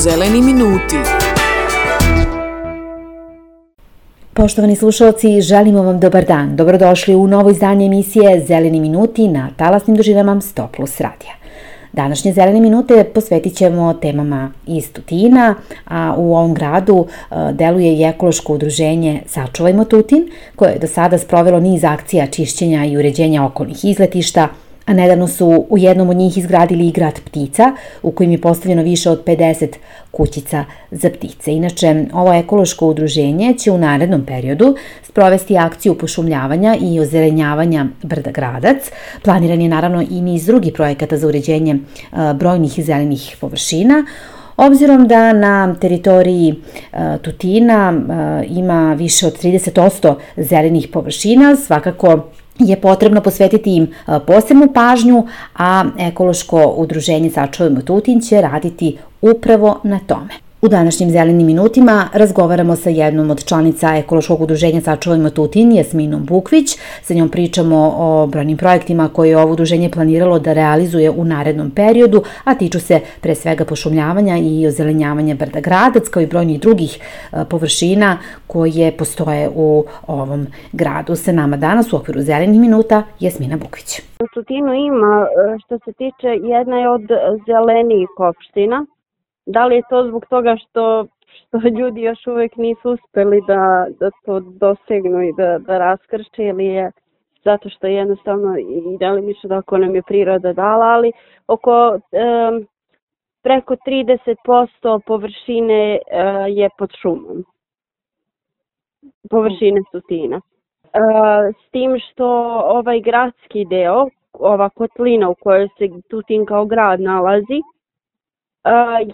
Zeleni minuti. Poštovani slušalci, želimo vam dobar dan. Dobrodošli u novo izdanje emisije Zeleni minuti na talasnim dužinama 100+ radija. Današnje Zelene minute posvetit ćemo temama iz Tutina, a u ovom gradu deluje i ekološko udruženje Sačuvajmo Tutin, koje je do sada sprovelo niz akcija čišćenja i uređenja okolnih izletišta, a nedavno su u jednom od njih izgradili i grad ptica, u kojem je postavljeno više od 50 kućica za ptice. Inače, ovo ekološko udruženje će u narednom periodu sprovesti akciju pošumljavanja i ozelenjavanja brda Gradac. Planiran je naravno i niz drugih projekata za uređenje brojnih zelenih površina. Obzirom da na teritoriji Tutina ima više od 30% zelenih površina, svakako je potrebno posvetiti im posebnu pažnju, a ekološko udruženje Sačuvajmo Tutin će raditi upravo na tome. U današnjim Zelenim minutima razgovaramo sa jednom od članica ekološkog udruženja Sačuvajmo Tutin, Jasminom Bukvić. Sa njom pričamo o brojnim projektima koje je ovo udruženje planiralo da realizuje u narednom periodu, a tiču se pre svega pošumljavanja i ozelenjavanja brda Gradac, kao i brojnih drugih površina koje postoje u ovom gradu. Sa nama danas u okviru Zelenih minuta Jasmina Bukvić. U Tutinu ima, što se tiče, jedna je od zelenijih opština. Da li je to zbog toga što ljudi još uvijek nisu uspjeli da to dosegnu i da raskrče, ili je zato što jednostavno i delimično tako nam je priroda dala, ali oko preko 30% površine je pod šumom. Površine Tutina. S tim što ovaj gradski deo, ova kotlina u kojoj se Tutin kao grad nalazi,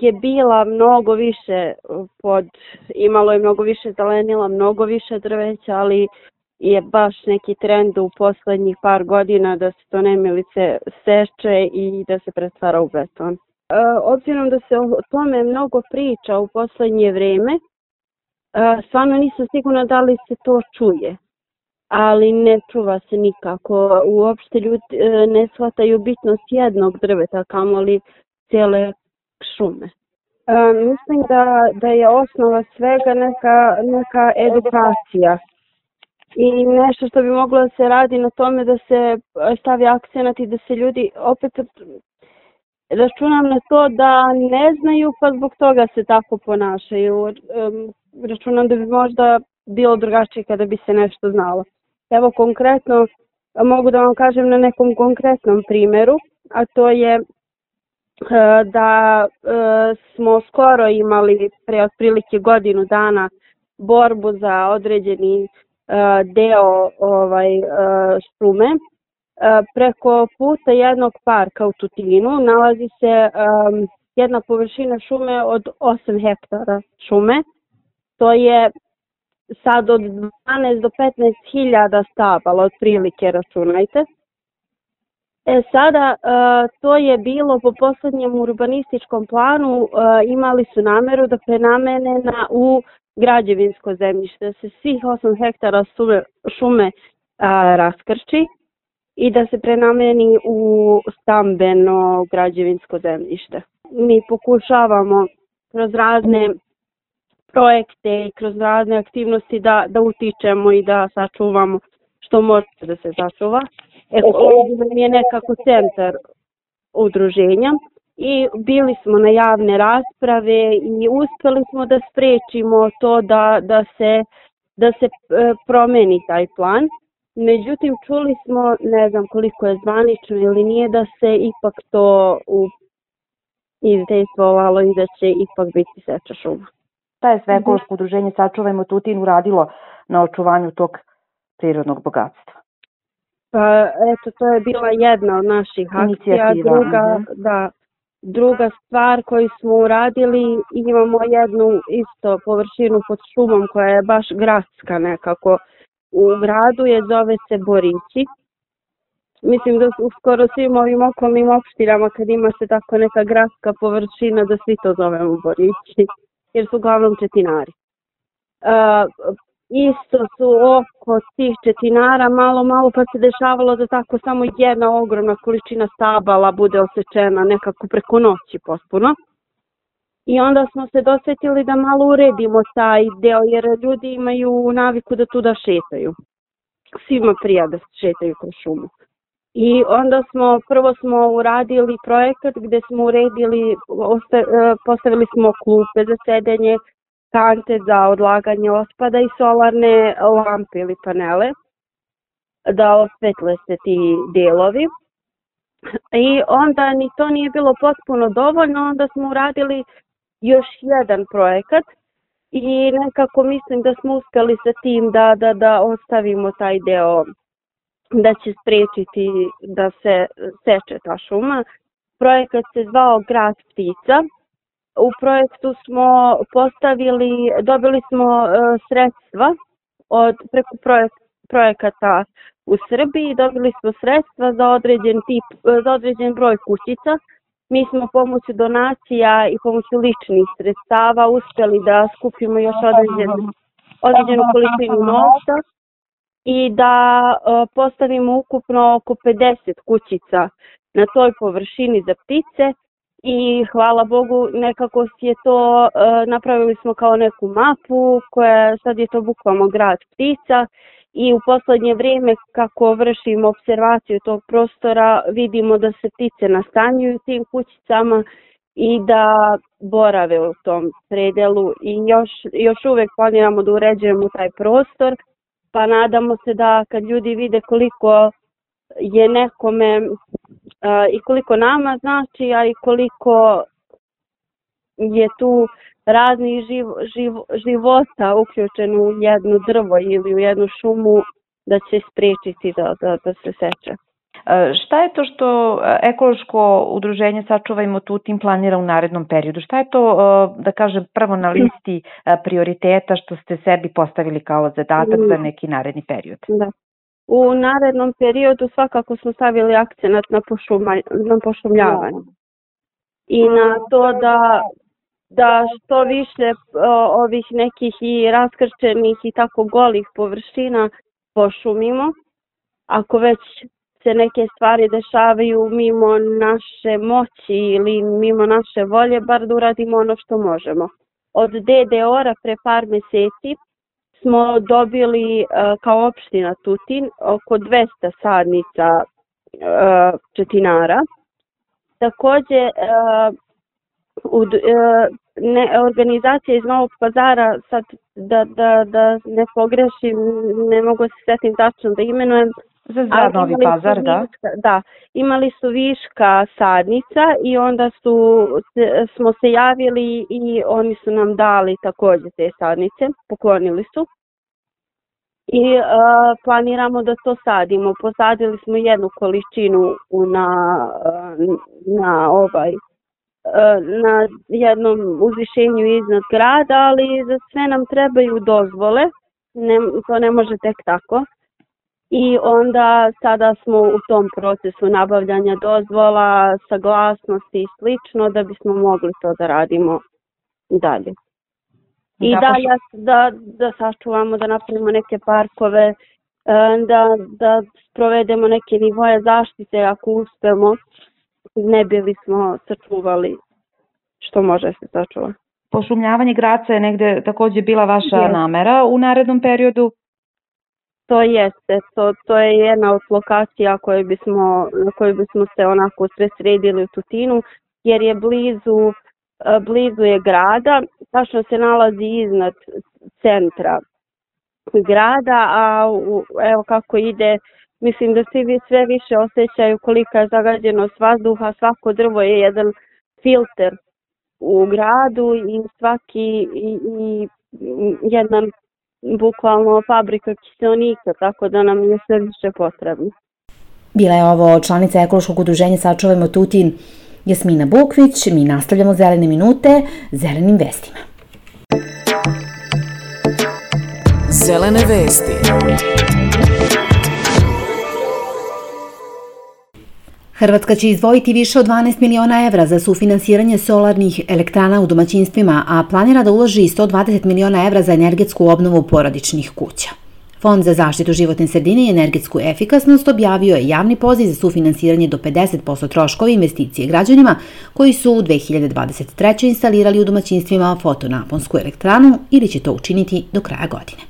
je bila mnogo više imalo je mnogo više zelenila, mnogo više drveća, ali je baš neki trend u poslednjih par godina da se to nemilice seče i da se pretvara u beton. Obzirom da se o tome mnogo priča u poslednje vreme, stvarno nisam sigurna da li se to čuje, ali ne čuva se nikako. Uopšte ljudi ne shvataju bitnost jednog drveta, kamoli cijele šume. Mislim da je osnova svega neka edukacija i nešto što bi moglo da se radi na tome da se stavi akcenat i da se ljudi opet računam na to da ne znaju pa zbog toga se tako ponašaju. Računam da bi možda bilo drugačije kada bi se nešto znalo. Evo konkretno mogu da vam kažem na nekom konkretnom primjeru, a to je da smo skoro imali pre otprilike godinu dana borbu za određeni deo šume. Preko puta jednog parka u Tutinu nalazi se jedna površina šume od 8 hektara šume. To je sad od 12 do 15 hiljada stabala, otprilike računajte. Sada to je bilo po poslednjem urbanističkom planu, imali su nameru da prenamene u građevinsko zemljište, da se svih 8 hektara šume raskrči i da se prenameni u stambeno građevinsko zemljište. Mi pokušavamo kroz razne projekte i kroz razne aktivnosti da utičemo i da sačuvamo što može da se sačuva. Ovdje je nekako centar udruženja i bili smo na javne rasprave i uspjeli smo da sprečimo to da se promeni taj plan. Međutim, čuli smo, ne znam koliko je zvanično ili nije, da se ipak to izdejstvovalo i da će ipak biti seča šuma. Šta je sve ekološko udruženje Sačuvajmo Tutin uradilo na očuvanju tog prirodnog bogatstva? Pa eto, to je bila jedna od naših akcija. Druga stvar koju smo uradili, imamo jednu isto površinu pod šumom koja je baš gradska nekako. U gradu zove se Borići. Mislim da u skoro svim ovim okolnim opštinama kad ima se tako neka gradska površina da svi to zovemo Borići, jer su uglavnom četinari. Isto su oko tih četinara malo pa se dešavalo da tako samo jedna ogromna količina stabala bude osečena nekako preko noći potpuno. I onda smo se dosjetili da malo uredimo taj deo, jer ljudi imaju naviku da tuda šetaju. Svima prija da šetaju kroz šumu. I onda prvo smo uradili projekat gdje smo uredili, postavili smo klupe za sedenje, kante za odlaganje otpada i solarne lampe ili panele da osvetle se ti delovi. I onda ni to nije bilo potpuno dovoljno, onda smo uradili još jedan projekat i nekako mislim da smo uspjeli sa tim da ostavimo taj deo da će spriječiti da se seče ta šuma. Projekat se zvao Grad ptica. U projektu smo dobili smo sredstva preko projekata u Srbiji, dobili smo sredstva za određen broj kućica. Mi smo pomoću donacija i pomoću ličnih sredstava uspjeli da skupimo još određenu količinu novca i da postavimo ukupno oko 50 kućica na toj površini za ptice. I hvala Bogu nekako je to, napravili smo kao neku mapu koja sad je to bukvalno Grad ptica i u posljednje vrijeme kako vršimo observaciju tog prostora vidimo da se ptice nastanjuju u tim kućicama i da borave u tom predelu i još uvijek planiramo da uređujemo taj prostor, pa nadamo se da kad ljudi vide koliko je nekome i koliko nama znači, a i koliko je tu raznih života uključeno u jedno drvo ili u jednu šumu, da će spriječiti da se seče. Šta je to što ekološko udruženje Sačuvajmo Tutin planira u narednom periodu? Šta je to, da kažem, prvo na listi prioriteta što ste sebi postavili kao zadatak za neki naredni period? Da. U narednom periodu svakako smo stavili akcenat na pošumljavanje i na to da što više ovih nekih i raskrčenih i tako golih površina pošumimo. Ako već se neke stvari dešavaju mimo naše moći ili mimo naše volje, bar da uradimo ono što možemo. Od DDOR-a pre par mjeseci smo dobili kao opština Tutin oko 200 sadnica četinara. Također organizacija iz Novog Pazara, sad da ne pogrešim, ne mogu se sjetim tačno da imenujem, za Novi Pazar, da? Da, imali su viška sadnica i onda smo se javili i oni su nam dali također te sadnice, poklonili su. I planiramo da to sadimo. Posadili smo jednu količinu na jednom uzvišenju iznad grada, ali za sve nam trebaju dozvole, to ne može tek tako. I onda sada smo u tom procesu nabavljanja dozvola, saglasnosti i slično da bismo mogli to da radimo dalje. I da sačuvamo, da napravimo neke parkove, da provedemo neke nivoje zaštite ako uspemo, ne bili smo sačuvali što može se sačuvati. Pošumljavanje Graca je negde također bila vaša namera u narednom periodu? To jeste, to je jedna od lokacija na kojoj bismo se onako sve sredili u Tutinu, jer je blizu je grada, tačno se nalazi iznad centra grada, a evo kako ide, mislim da svi sve više osjećaju kolika je zagađenost vazduha, svako drvo je jedan filter u gradu i svaki jedan bukvalno fabrika kiseonika, tako da nam je sve više potrebno. Bila je ovo članica ekološkog udruženja Sačuvajmo Tutin Jasmina Bukvić. Mi nastavljamo zelene minute zelenim vestima. Zelene vesti. Hrvatska će izdvojiti više od 12 miliona evra za sufinansiranje solarnih elektrana u domaćinstvima, a planira da uloži 120 miliona evra za energetsku obnovu porodičnih kuća. Fond za zaštitu životne sredine i energetsku efikasnost objavio je javni poziv za sufinansiranje do 50% troškova investicije građanima koji su u 2023. instalirali u domaćinstvima fotonaponsku elektranu ili će to učiniti do kraja godine.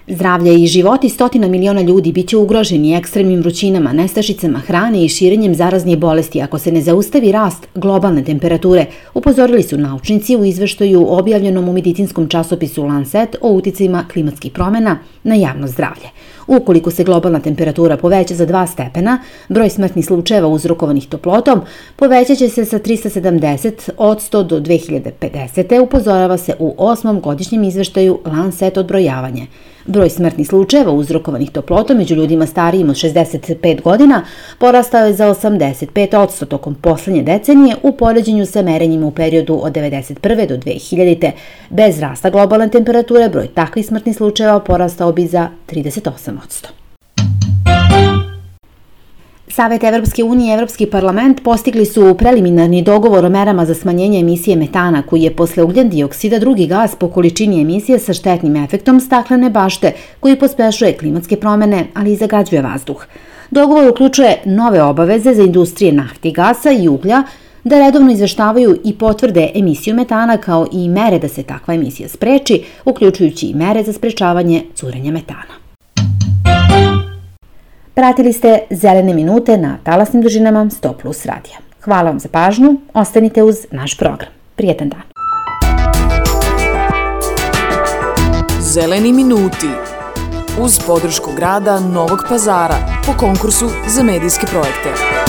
Zdravlje i životi stotina miliona ljudi biće ugroženi ekstremnim vrućinama, nestašicama hrane i širenjem zaraznih bolesti ako se ne zaustavi rast globalne temperature, upozorili su naučnici u izveštaju objavljenom u medicinskom časopisu Lancet o uticajima klimatskih promena na javno zdravlje. Ukoliko se globalna temperatura poveća za 2 stepena, broj smrtnih slučajeva uzrokovanih toplotom povećat će se sa 370% do 2050. upozorava se u 8. godišnjem izveštaju Lancet odbrojavanje. Broj smrtnih slučajeva uzrokovanih toplotom među ljudima starijim od 65 godina porastao je za 85% tokom poslednje decenije u poređenju sa merenjima u periodu od 1991. do 2000. Bez rasta globalne temperature broj takvih smrtnih slučajeva porastao bi za 38%. Savet Evropske unije i Evropski parlament postigli su preliminarni dogovor o merama za smanjenje emisije metana, koji je posle ugljen dioksida drugi gas po količini emisije sa štetnim efektom staklene bašte, koji pospešuje klimatske promene, ali i zagađuje vazduh. Dogovor uključuje nove obaveze za industrije nafte i gasa i uglja da redovno izveštavaju i potvrde emisiju metana, kao i mere da se takva emisija spreči, uključujući i mere za sprečavanje curenja metana. Pratili ste Zelene minute na talasnim dužinama 100+ radija. Hvala vam za pažnju, ostanite uz naš program. Prijetan dan. Zeleni minuti uz podršku grada Novog Pazara po konkursu za medijske projekte.